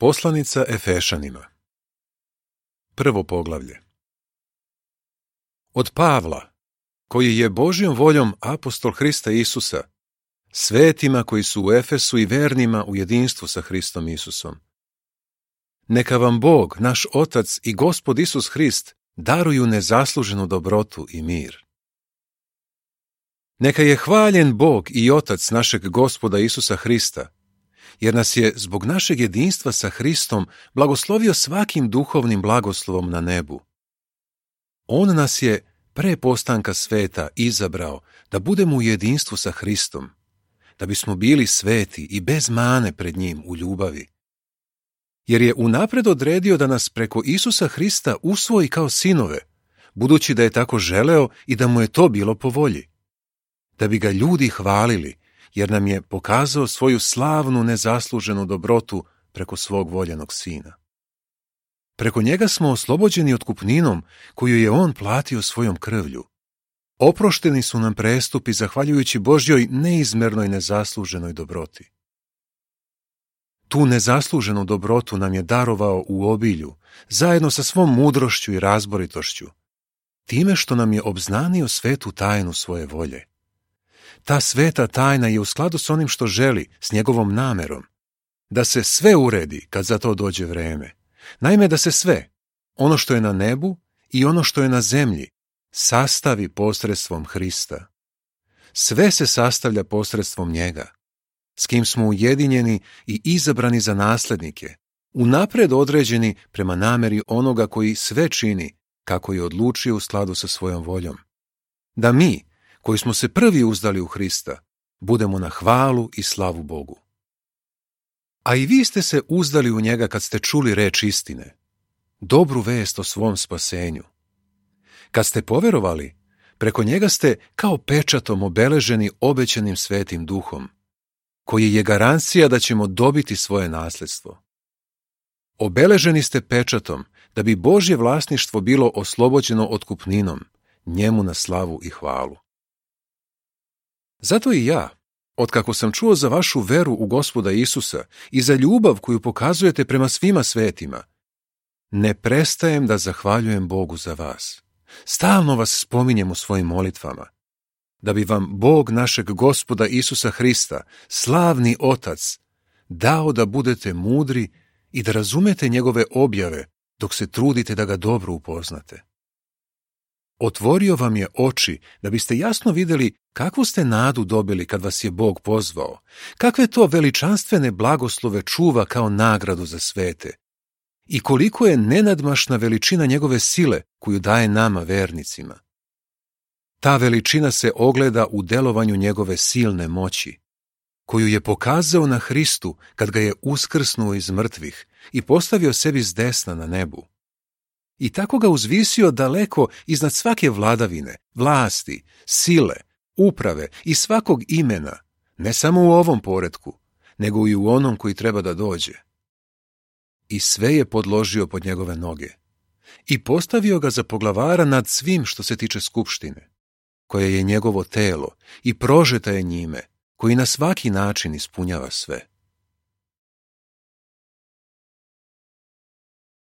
Poslanica Efešanima. Prvo poglavlje. Od Pavla, koji je Božjom voljom apostol Hrista Isusa, svetima koji su u Efesu i vernima u jedinstvu sa Hristom Isusom. Neka vam Bog, naš Otac i Gospod Isus Hrist daruju nezasluženu dobrotu i mir. Neka je hvaljen Bog i Otac našeg Gospoda Isusa Hrista, jer nas je zbog našeg jedinstva sa Hristom blagoslovio svakim duhovnim blagoslovom na nebu. On nas je pre postanka sveta izabrao da budemo u jedinstvu sa Hristom, da bismo bili sveti i bez mane pred njim u ljubavi. Jer je unapred odredio da nas preko Isusa Hrista usvoji kao sinove, budući da je tako želeo i da mu je to bilo po volji. Da bi ga ljudi hvalili, jer nam je pokazao svoju slavnu nezasluženu dobrotu preko svog voljenog Sina. Preko njega smo oslobođeni otkupninom koju je on platio svojom krvlju. Oprošteni su nam prestupi zahvaljujući Božjoj neizmernoj nezasluženoj dobroti. Tu nezasluženu dobrotu nam je darovao u obilju, zajedno sa svom mudrošću i razboritošću, time što nam je obznanio svetu tajnu svoje volje. Ta sveta tajna je u skladu s onim što želi, s njegovom namerom, da se sve uredi kad za to dođe vreme. Naime, da se sve, ono što je na nebu i ono što je na zemlji, sastavi posredstvom Hrista. Sve se sastavlja posredstvom njega, s kim smo ujedinjeni i izabrani za naslednike, unapred određeni prema nameri onoga koji sve čini, kako je odlučio u skladu sa svojom voljom. Da mi, koji smo se prvi uzdali u Hrista, budemo na hvalu i slavu Bogu. A i vi ste se uzdali u njega kad ste čuli reč istine, dobru vest o svom spasenju. Kad ste poverovali, preko njega ste kao pečatom obeleženi obećanim svetim duhom, koji je garancija da ćemo dobiti svoje nasledstvo. Obeleženi ste pečatom da bi Božje vlasništvo bilo oslobođeno otkupninom, njemu na slavu i hvalu. Zato i ja, otkako sam čuo za vašu veru u Gospoda Isusa i za ljubav koju pokazujete prema svima svetima, ne prestajem da zahvaljujem Bogu za vas. Stalno vas spominjem u svojim molitvama, da bi vam Bog našeg Gospoda Isusa Hrista, slavni Otac, dao da budete mudri i da razumete njegove objave dok se trudite da ga dobro upoznate. Otvorio vam je oči da biste jasno vidjeli kakvu ste nadu dobili kad vas je Bog pozvao, kakve to veličanstvene blagoslove čuva kao nagradu za svete i koliko je nenadmašna veličina njegove sile koju daje nama vernicima. Ta veličina se ogleda u delovanju njegove silne moći, koju je pokazao na Hristu kad ga je uskrsnuo iz mrtvih i postavio sebi s desna na nebu. I tako ga uzvisio daleko iznad svake vladavine, vlasti, sile, uprave i svakog imena, ne samo u ovom poretku, nego i u onom koji treba da dođe. I sve je podložio pod njegove noge i postavio ga za poglavara nad svim što se tiče skupštine, koje je njegovo telo i prožeta je njime, koji na svaki način ispunjava sve.